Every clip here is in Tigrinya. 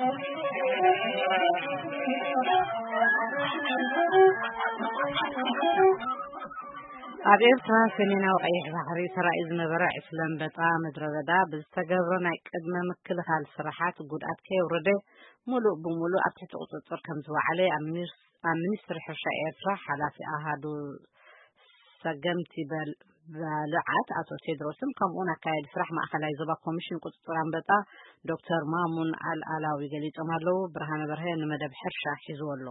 ኣብ ኤርትራ ሰሜናዊ ቀይሕ ባሕሪ ተራእዩ ዝነበረ ዕስለ ኣንበጣ ምድረ በዳ ብዝተገብረ ናይ ቅድመ ምክልኻል ስራሓት ጉድኣት ከየውረደ፣ ሙሉእ ብሙሉእ ኣብ ትሕቲ ቁጽጽር ከም ዝወዓለ ኣብ ሚኒስ-፣ ኣብ ሚኒስትሪ ሕርሻ ኤርትራ ሓላፊ ኣሃዱ ሰገምቲ በል-፣ ባልዓት ኣቶ ቴድሮስን ከምኡውን ኣካያዲ ስራሕ ማእኸላይ ዞባ ኮሚሽን ቁጽጽር ኣንበጣ ዶክተር ማሙን ኣልኣላዊ ገሊጾም ኣለዉ። ብርሃነ በርሀ ንመደብ ሕርሻ ሒዝዎ ኣሎ።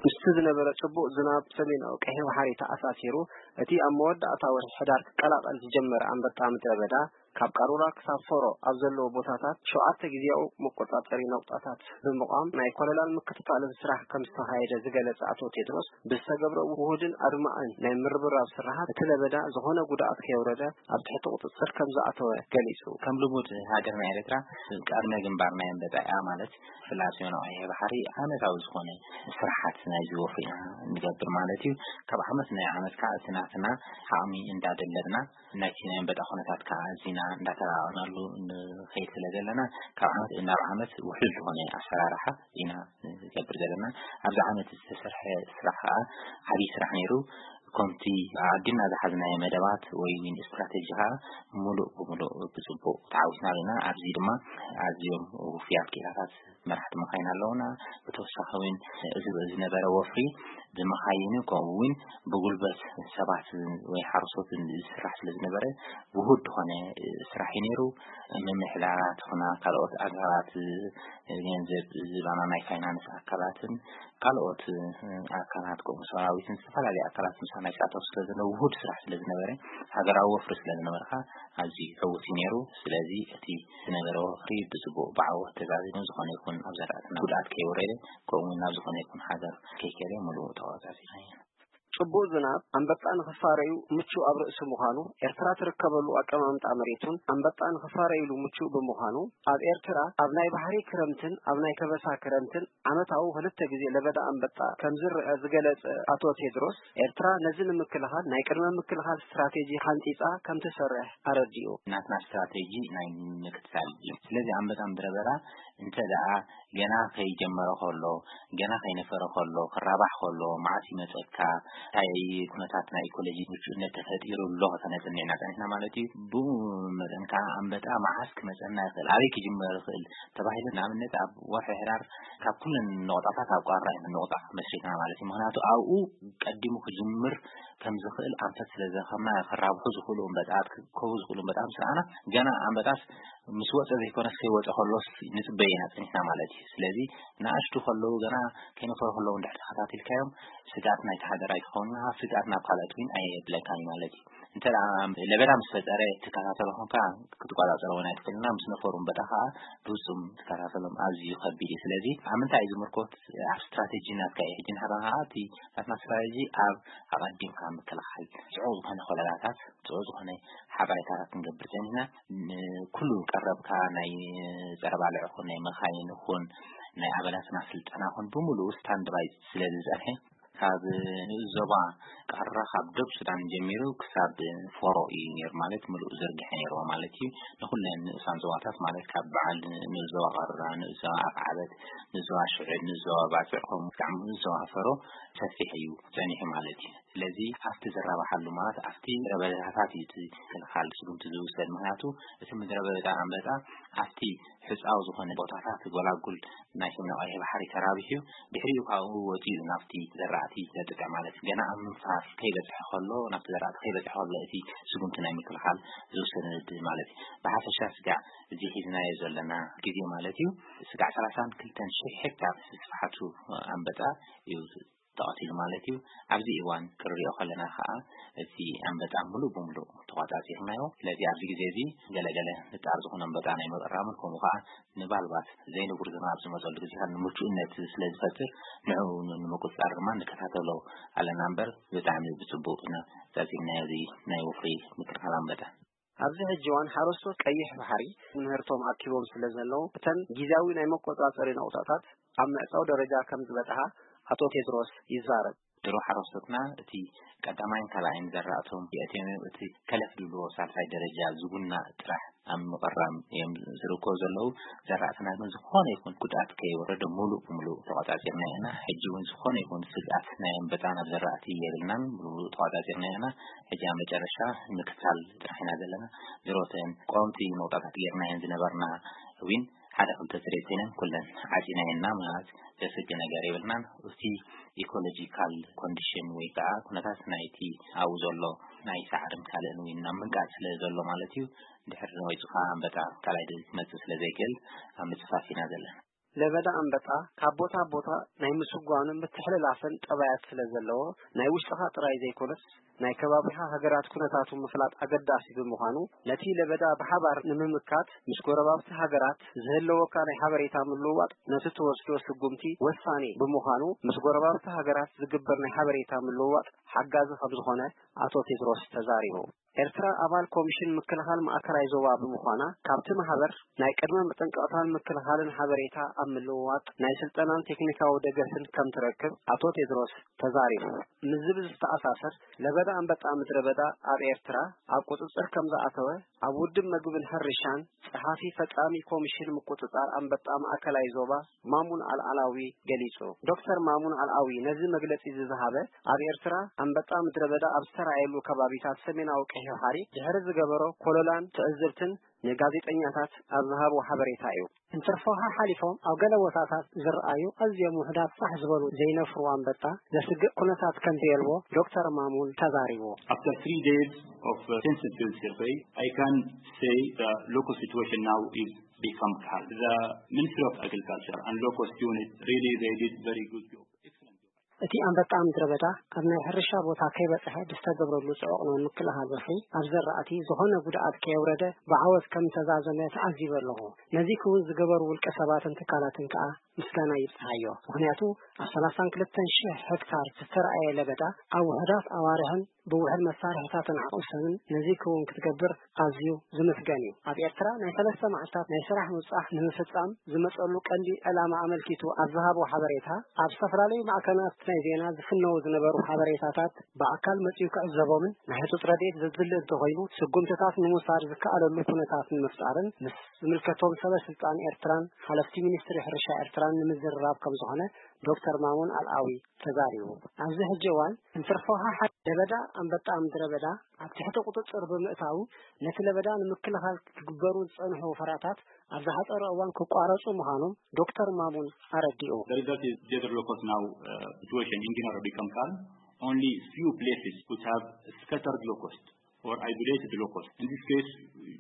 ምስቲ ዝነበረ ጽቡቕ ዝናብ ሰሜናዊ ቀይሕ ባሕሪ ተኣሳሲሩ፣ እቲ ኣብ መወዳእታ ወርሒ ሕዳር ክቀላቐል ዝጀመረ ኣንበጣ ምድረ በዳ፣ ካብ ቃሩራ ክሳብ ፎሮ ኣብ ዘለዎ ቦታታት ሸውዓተ ግዜያዊ መቆጻጸሪ ነቑጣታት ብምቋም ናይ ኮለላን ምክትታልን ስራሕ ከም ዝተኻየደ ዝገለጸ ኣቶ ቴድሮስ፣ ብዝተገብረ ውሁድን ኣድማዕን ናይ ምርብራብ ስራሓት እቲ ለበዳ ዝኾነ ጉድኣት ከየውረደ ኣብ ትሕቲ ቁጽጽር ከም ዝኣተወ ገሊጹ። ከም ልሙድ ሃገርና ኤርትራ ቀርነ ግንባር ናይ ኣንበጣ እያ ማለት ፍላጥ ሲሆን ቀይሕ ባሕሪ ዓመታዊ ዝኾነ ስራሓት ናይዚ ወፍሪ ኢና ንገብር ማለት እዩ። ካብ ዓመት ናይ ዓመት ከዓ እቲ ናትና ዓቕሚ እንዳደለብና ናይቲ ናይ ኣንበጣ ኩነታት ከዓ ኣዚና እንዳተራቐናሉ ንኸይድ ስለ ዘለና ካብ ዓመት ናብ ዓመት ውሕሉል ዝኾነ ኣሰራርሓ ኢና ንገብር ዘለና። ኣብዚ ዓመት ዝተሰርሐ ስራሕ ከዓ ዓብዪ ስራሕ ነይሩ። ከምቲ ኣዲና ዝሓዝናዮ መደባት ወይ ዊን ስትራቴጂ ከዓ ሙሉእ ብሙሉእ ብፅቡቅ ተዓዊትና ኣለና። ኣብዚ ድማ ኣዝዮም ውፉያት ክኢላታት መራሕቲ መኻይን ኣለውና። ብተወሳኺ እውን እዚ ዝነበረ ወፍሪ ብመኻይን ከምኡ እውን ብጉልበት ሰባት ወይ ሓረስቶት ዝስራሕ ስለ ዝነበረ ውሁድ ዝኾነ ስራሕ እዩ ነይሩ። ምምሕዳራት ኹና ካልኦት ኣካላት ገንዘብ ዝባና ናይ ፋይናንስ ኣካላትን ካልኦት ኣካላት ከምኡ ሰራዊትን ዝተፈላለዩ ኣካላት ምሳና ይሳተፉ ስለ ዘለዉ ውሁድ ስራሕ ስለ ዝነበረ ሃገራዊ ወፍሪ ስለ ዝነበርካ ኣዝዩ ዕዉት እዩ ነይሩ። ስለዚ እቲ ዝነበረ ወፍሪ ብፅቡቅ ብዓወት ተዛዚሙ ዝኾነ ይኹን ኣብ ዘራእትና ጉድኣት ከይወረደ ከምኡ እውን ናብ ዝኾነ ይኹን ሓገር ከይከደ ሙሉእ ተቆጻጺርና ኢና። ጽቡቕ ዝናብ ኣንበጣ ንኽፋረዩ ምቹእ ኣብ ርእሲ ምዃኑ፣ ኤርትራ ትርከበሉ ኣቀማምጣ መሬቱን ኣንበጣ ንኽፋረዩሉ ምቹእ ብምዃኑ፣ ኣብ ኤርትራ ኣብ ናይ ባሕሪ ክረምትን ኣብ ናይ ከበሳ ክረምትን ዓመታዊ ክልተ ግዜ ለበዳ ኣንበጣ ከም ዝረአ ዝገለጸ ኣቶ ቴድሮስ፣ ኤርትራ ነዚ ንምክልኻል ናይ ቅድመ ምክልኻል ስትራቴጂ ሓንጺጻ ከም ትሰርሕ ኣረዲኡ። ናትና ስትራቴጂ ናይ ምክትታል እዩ። ስለዚ ኣንበጣ ምድረ በዳ እንተ ደኣ ገና ከይጀመረ ከሎ፣ ገና ከይነፈረ ከሎ፣ ክራባሕ ከሎ፣ መዓስ ይመጸካ፣ እንታይ ኩነታት ናይ ኢኮሎጂ ምቹእነት ተፈጢሩ ኣሎ ከተነጽንዕና ጸኒሕና ማለት እዩ። ብኡ መጠን ከኣ ኣንበጣ መዓስ ክመጸና ይኽእል፣ ኣበይ ክጅመር ይኽእል ተባሂሉ ንኣብነት ኣብ ወርሒ ሕዳር ካብ ኩለን ነቑጣታት ኣብ ቃራ ኢና ነቑጣ መስሪትና ማለት እዩ። ምኽንያቱ ኣብኡ ቀዲሙ ክጅምር ከም ዝኽእል ኣንፈት ስለ ዝረኸብና ክራብሑ ዝኽእሉ ኣንበጣት፣ ክከቡ ዝኽእሉ ኣንበጣት ምስ ረኣና ገና ኣንበጣስ ምስ ወጸ ዘይኮነስ ከይወጸ ከሎስ ንጽበየና ጸኒሕና ማለት እዩ። ስለዚ ንኣሽቱ ከለዉ ገና ከይነፈሩ ከለዉ እንድሕር ተኸታቲልካዮም ስግኣት ናይቲ ሃገር ኣይትኸውን ኢኻ፣ ስግኣት ናብ ካልኦት እውን ኣየብለካን እዩ ማለት እዩ። እንተ ደኣ ለበዳ ምስ ፈጠረ ትከታተሎ ኮንካ ክትቆጻጸሮ እውን ኣይትኽእልና፣ ምስ ነፈሩ እምበጣ ከዓ ብፍጹም ትከታተሎም ኣዝዩ ከቢድ እዩ። ስለዚ ኣብ ምንታይ እዩ ዝምርኮት ኣብ ስትራቴጂ ናትካ እዩ። ሕጂ ንሕና ከዓ እቲ ናትና ስትራቴጂ ኣብ ኣቐዲምካ ምክልኻል ጽዑቕ ዝኾነ ኮለላታት፣ ጽዑቕ ዝኾነ ሓበሬታታት ክንገብር ጸኒሕና። ንኩሉ ቀረብካ ናይ ጸረ ባልዕ ይኹን ናይ መኻይን ይኹን ናይ ኣባላትና ስልጠና ይኹን ብምሉኡ ስታንድ ባይ ስለ ዝጸንሐ ካብ ንኡስ ዞባ ቃራ ካብ ደቡብ ሱዳን ጀሚሩ ክሳብ ፎሮ እዩ ነይሩ ማለት ምሉእ ዝርግሐ ነይርዎ ማለት እዩ። ንኹለን ንኡሳን ዞባታት ማለት ካብ በዓል ንኡስ ዞባ ቃራ፣ ንኡስ ዞባ ኣፍዓበት፣ ንኡስ ዞባ ሽዕብ፣ ንኡስ ዞባ ባጽዕ ከምኡ ክሳብ ንኡስ ዞባ ፈሮ ሰፊሕ እዩ ጸኒሑ ማለት እዩ። ስለዚ ኣብቲ ዝራባሓሉ ማለት ኣብቲ ረበዳታት እዩ እቲ ምክልኻል ስጉምቲ ዝውሰድ። ምኽንያቱ እቲ ምድረ በዳ ኣንበጣ ኣብቲ ሕጻው ዝኾነ ቦታታት ጎላጉል ናይ ሰሜን ቀይሕ ባሕሪ ተራቢሑ ድሕሪኡ ካብኡ ወጺኡ ናብቲ ዘራእቲ ዘጥቅዕ ማለት እዩ። ገና ኣብ ምንፋር ከይበጽሐ ከሎ ናብቲ ዘራእቲ ከይበጽሐ ከሎ እቲ ስጉምቲ ናይ ምክልኻል ዝውሰድ ማለት እዩ። ብሓፈሻ ስጋዕ እዚ ሒዝናዮ ዘለና ግዜ ማለት እዩ ስጋዕ ሰላሳን ክልተን ሽሕ ሄክታር ስፍሓቱ ኣንበጣ እዩ ተቐቲሉ ማለት እዩ። ኣብዚ እዋን ክንሪኦ ከለና ከዓ እቲ ኣንበጣ ሙሉእ ብሙሉእ ተቋጻጺርናዮ። ስለዚ ኣብዚ ግዜ እዚ ገለገለ ንጣር ዝኾነ ኣንበጣ ናይ ምቕራምን ከምኡ ከዓ ንባልባት ዘይንቡር ዝናብ ዝመፀሉ ግዜታት ንምቹእነት ስለ ዝፈጥር ንዕኡ ንምቁፅፃር ድማ ንከታተሎ ኣለና እምበር ብጣዕሚ ብፅቡቅ ኢና ጻጺምናዮ እዚ ናይ ወፍሪ ምክልኻል ኣንበጣ። ኣብዚ ሕጂ እዋን ሓረስቶት ቀይሕ ባሕሪ ምህርቶም ኣኪቦም ስለ ዘለዉ እተን ግዜያዊ ናይ መቆጻጸሪ ነቑጣታት ኣብ ምዕጻው ደረጃ ከም ዝበጽሓ ኣቶ ቴድሮስ ይዛረብ። ድሮ ሓረስቶትና እቲ ቀዳማይን ካልኣይን ዘራእቶም የእትዮም እዮም። እቲ ከለፍ ዝብልዎ ሳልሳይ ደረጃ ዝጉና ጥራሕ ኣብ ምቕራም እዮም ዝርከቡ ዘለዉ። ዘራእትና ግን ዝኾነ ይኹን ጉድኣት ከይወረደ ሙሉእ ብሙሉእ ተቖጻጺርና ኢና። ሕጂ እውን ዝኾነ ይኹን ስግኣት ናይ ኣንበጣ ናብ ዘራእቲ የብልናን፣ ሙሉእ ተቖጻጺርና ኢና። ሕጂ ኣብ መጨረሻ ምክታል ጥራሕ ኢና ዘለና። ዝሮተን ቀወምቲ ነቑጣታት ጌርና እየን ዝነበርና እውን ሓደ ክልተ ስሬት ኮይነን ኩለን ዓጺናየና ማለት ዘስቂ ነገር የብልናን። እቲ ኢኮሎጂካል ኮንዲሽን ወይ ከዓ ኩነታት ናይቲ ኣብኡ ዘሎ ናይ ሳዕርን ካልእን እውን ናብ ምንቃጽ ስለ ዘሎ ማለት እዩ። ድሕሪ ወይፅኻ ኣንበጣ ካልኣይ ድዚ ክመፅእ ስለ ዘይክእል ኣብ ምፅፋፍ ኢና ዘለና። ለበዳ ኣንበጣ ካብ ቦታ ቦታ ናይ ምስጓኑ ምትሕልላፍን ጠባያት ስለ ዘለዎ ናይ ውሽጥኻ ጥራይ ዘይኮነስ ናይ ከባቢኻ ሃገራት ኩነታቱ ምፍላጥ ኣገዳሲ ብምዃኑ ነቲ ለበዳ ብሓባር ንምምካት ምስ ጎረባብቲ ሃገራት ዝህለወካ ናይ ሓበሬታ ምልውዋጥ ነቲ ትወስዶ ስጉምቲ ወሳኒ ብምዃኑ ምስ ጎረባብቲ ሃገራት ዝግበር ናይ ሓበሬታ ምልውዋጥ ሓጋዚ ከም ዝኾነ ኣቶ ቴድሮስ ተዛሪቡ። ኤርትራ ኣባል ኮሚሽን ምክልኻል ማእከላይ ዞባ ብምዃና ካብቲ ማህበር ናይ ቅድመ መጠንቀቕታን ምክልኻልን ሓበሬታ ኣብ ምልውዋጥ ናይ ስልጠናን ቴክኒካዊ ደገፍን ከም ትረክብ ኣቶ ቴድሮስ ተዛሪቡ። ምስዚ ብዝተኣሳሰር ለበዳ ኣንበጣ ምድረ በዳ ኣብ ኤርትራ ኣብ ቁጽጽር ከም ዝኣተወ ኣብ ውድብ መግብን ሕርሻን ጸሓፊ ፈጻሚ ኮሚሽን ምቁጽጻር ኣንበጣ ማእከላይ ዞባ ማሙን ኣልኣላዊ ገሊጹ። ዶክተር ማሙን ኣልኣዊ ነዚ መግለጺ እዚ ዝሃበ ኣብ ኤርትራ ኣንበጣ ምድረ በዳ ኣብ ዝተራእየሉ ከባቢታት ሰሜናዊ ቀይሕ ባሕሪ ድሕሪ ዝገበሮ ኮለላን ትዕዝብትን ንጋዜጠኛታት ኣብ ዝሃቦ ሓበሬታ እዩ። እንትርፎ ሓሓሊፎም ኣብ ገለ ቦታታት ዝረኣዩ ኣዝዮም ውሑዳት ፋሕ ዝበሉ ዘይነፍሩ ኣንበጣ ዘስግእ ኩነታት ከም ዘየልቦ ዶክተር ማሙን ተዛሪቡ። After three days of uh, intensive field survey, I can say the local situation now is become calm. The Ministry of Agriculture and locust unit really they did very good job. Excellent job. እቲ ኣንበጣ ምድረ በዳ ኣብ ናይ ሕርሻ ቦታ ከይበጽሐ ብዝተገብረሉ ጽዑቕ ናይ ምክልኻል ወፍሪ ኣብ ዘራእቲ ዝኾነ ጉድኣት ከየውረደ ብዓወት ከም ተዛዘመ ተዓዚበ ኣለኹ። ነዚ ክውን ዝገበሩ ውልቀ ሰባትን ትካላትን ከኣ ምስጋና ይብጽሓዮ። ምኽንያቱ ኣብ ሰላሳን ክልተን ሽሕ ሄክታር ዝተረኣየ ለበዳ ኣብ ውሑዳት ኣዋርሕን ብውሕድ መሳርሕታትን ዓቕሚ ሰብን ነዚ ክውን ክትገብር ኣዝዩ ዝምስገን እዩ። ኣብ ኤርትራ ናይ ሰለስተ መዓልታት ናይ ስራሕ ምብጻሕ ንምፍጻም ዝመጸሉ ቀንዲ ዕላማ ኣመልኪቱ ኣብ ዝሃቦ ሓበሬታ፣ ኣብ ዝተፈላለዩ ማዕከናት ናይ ዜና ዝፍነዉ ዝነበሩ ሓበሬታታት ብኣካል መጺኡ ክዕዘቦምን ናይ ህጹጽ ረድኤት ዘድሊ እንተኾይኑ ስጉምትታት ንምውሳድ ዝከኣለሉ ኩነታት ንምፍጣርን ምስ ዝምልከቶም ሰበ ስልጣን ኤርትራን ሓለፍቲ ሚኒስትሪ ሕርሻ ኤርትራን ንምዝርራብ ከም ዝኾነ ዶክተር ማሙን ኣልኣዊ ተዛሪቡ። ኣብዚ ሕጂ እዋን እንትርፎ ሓሓ ለበዳ ኣንበጣ ምድረ በዳ ኣብ ትሕቲ ቁጽጽር ብምእታዉ ነቲ ለበዳ ንምክልኻል ክግበሩ ዝጸንሑ ወፈራታት ኣብ ዝሓጸረ እዋን ክቋረጹ ምዃኖም ዶክተር ማሙን ኣረዲኡ። The result is desert locust now uh, situation in Guinea become calm. Only few places which have scattered locust or isolated locust. In this case,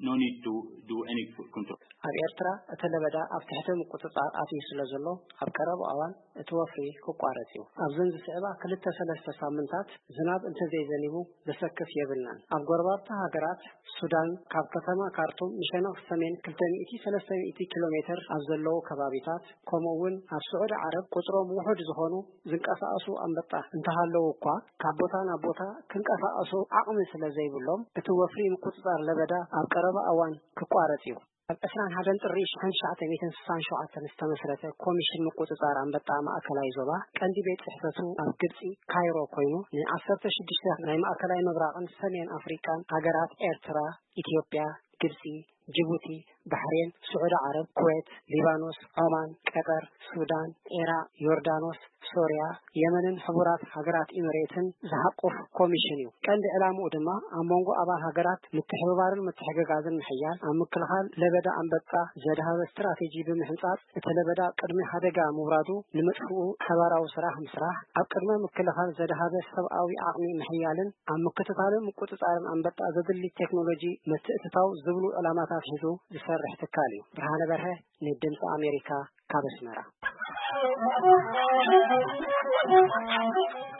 no need to do any control. ኣብ ኤርትራ እቲ ለበዳ ኣብ ትሕቲ ምቁጽጻር ኣትዩ ስለ ዘሎ ኣብ ቀረባ እዋን እቲ ወፍሪ ክቋረጽ እዩ። ኣብዘን ዝስዕባ ክልተ ሰለስተ ሳምንታት ዝናብ እንተዘይዘኒቡ ዘሰክፍ የብልናን። ኣብ ጎረባብቲ ሃገራት ሱዳን ካብ ከተማ ካርቱም ንሸነኽ ሰሜን ክልተ ሚእቲ ሰለስተ ሚእቲ ኪሎ ሜትር ኣብ ዘለዉ ከባቢታት ከምኡ እውን ኣብ ስዑዲ ዓረብ ቁጽሮም ውሑድ ዝኾኑ ዝንቀሳቐሱ ኣንበጣ እንተሃለዉ እኳ ካብ ቦታ ናብ ቦታ ክንቀሳቐሱ ዓቕሚ ስለ ዘይብሎም እቲ ወፍሪ ምቁጽጻር ለበዳ ኣብ ቀረባ እዋን ክቋረጽ እዩ። ኣብ ዕስራን ሓደን ጥሪ ሽሕን ትሽዓተ ሚእትን ስሳን ሸውዓተን ዝተመስረተ ኮሚሽን ምቁጽጻር ኣንበጣ ማእከላይ ዞባ ቀንዲ ቤት ጽሕፈቱ ኣብ ግብጺ ካይሮ ኮይኑ ን ዓሰርተ ሽዱሽተ ናይ ማእከላይ ምብራቕን ሰሜን ኣፍሪቃን ሃገራት ኤርትራ፣ ኢትዮጵያ፣ ግብጺ፣ ጅቡቲ፣ ባሕሬን፣ ስዑዲ ዓረብ፣ ኩዌት፣ ሊባኖስ፣ ዖማን፣ ቀጠር፣ ሱዳን፣ ኢራቕ፣ ዮርዳኖስ፣ ሶርያ፣ የመንን ሕቡራት ሃገራት ኢሚሬትን ዝሓቁፍ ኮሚሽን እዩ። ቀንዲ ዕላምኡ ድማ ኣብ መንጎ ኣባል ሃገራት ምትሕብባርን ምትሕግጋዝን ምሕያል፣ ኣብ ምክልኻል ለበዳ ኣንበጣ ዘድሃበ ስትራቴጂ ብምሕንጻጽ፣ እቲ ለበዳ ቅድሚ ሓደጋ ምውራዱ ንምጥፍኡ ሓባራዊ ስራሕ ምስራሕ፣ ኣብ ቅድመ ምክልኻል ዘድሃበ ሰብኣዊ ዓቕሚ ምሕያልን ኣብ ምክትታልን ምቁጽጻርን ኣንበጣ ዘድሊ ቴክኖሎጂ ምትእትታው ዝብሉ ዕላማታት ሒዙ ዝሰርሕ ትካል እዩ። ብርሃነ በርሀ፣ ንድምፂ ኣሜሪካ፣ ካብ ኣስመራ።